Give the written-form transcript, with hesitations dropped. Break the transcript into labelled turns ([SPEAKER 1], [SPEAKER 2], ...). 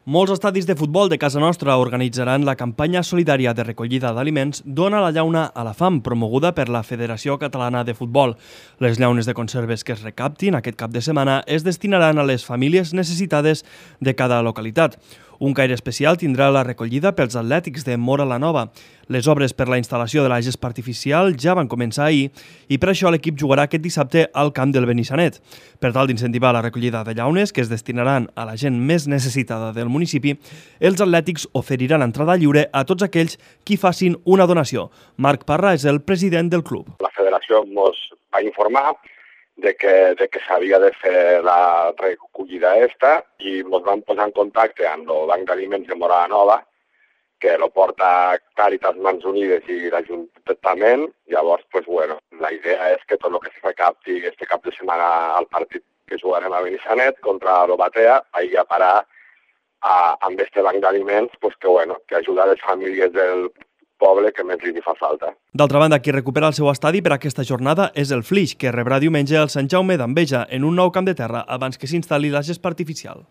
[SPEAKER 1] Molts estadis de futbol de casa nostra organitzaran la campanya solidària de recollida d'aliments Dona la llauna a la fam, promoguda per la Federació Catalana de Futbol. Les llaunes de conserves que es recaptin aquest cap de setmana es destinaran a les famílies necessitades de cada localitat. Un caire especial tindrà la recollida pels atlètics de Móra la Nova. Les obres per la instal·lació de la gespa artificial ja van començar ahir i per això l'equip jugarà aquest dissabte al camp del Benissanet. Per tal d'incentivar la recollida de llaunes que es destinaran a la gent més necessitada del municipi, els atlètics oferiran entrada lliure a tots aquells qui facin una donació. Marc Parra és el president del club.
[SPEAKER 2] La federació ens va informar de que s'havia de fer la recollida i ens vam posar en contacte amb el Banc d'Aliments de Móra la Nova, que lo porta Càritas Mans Unides i l'Ajuntament. Llavors, la idea és que tot el que se recapti este cap de setmana al partit que jugarem a Benissanet contra l'Obatea vagi a parar amb este banc d'aliments que ajuda les famílies del poble que més li fa falta.
[SPEAKER 1] D'altra banda, qui recupera el seu estadi per aquesta jornada és el Flix, que rebrà diumenge el Sant Jaume d'Enveja en un nou camp de terra abans que s'instal·li la gespa artificial.